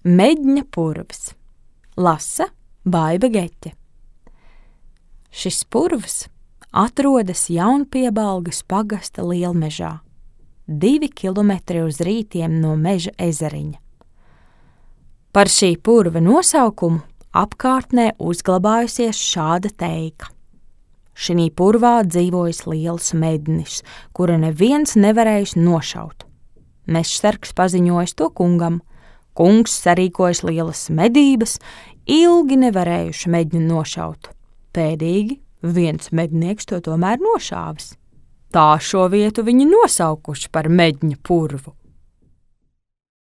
Medņa purvs. Lasa Baiba Geķe. Šis purvs atrodas Jaunpiebalgas pagasta lielmežā, 2 kilometri uz rītiem no meža ezeriņa. Par šī purva nosaukumu apkārtnē uzglabājusies šāda teika. Šinī purvā dzīvojas liels mednis, kura neviens nevarējis nošaut. Mežsargs paziņojis to kungam. Kungs sarīkojas lielas medības, ilgi nevarējuši medņu nošaut. Pēdīgi viens mednieks to tomēr nošāvis. Tā šo vietu viņi nosaukuši par Medņa purvu.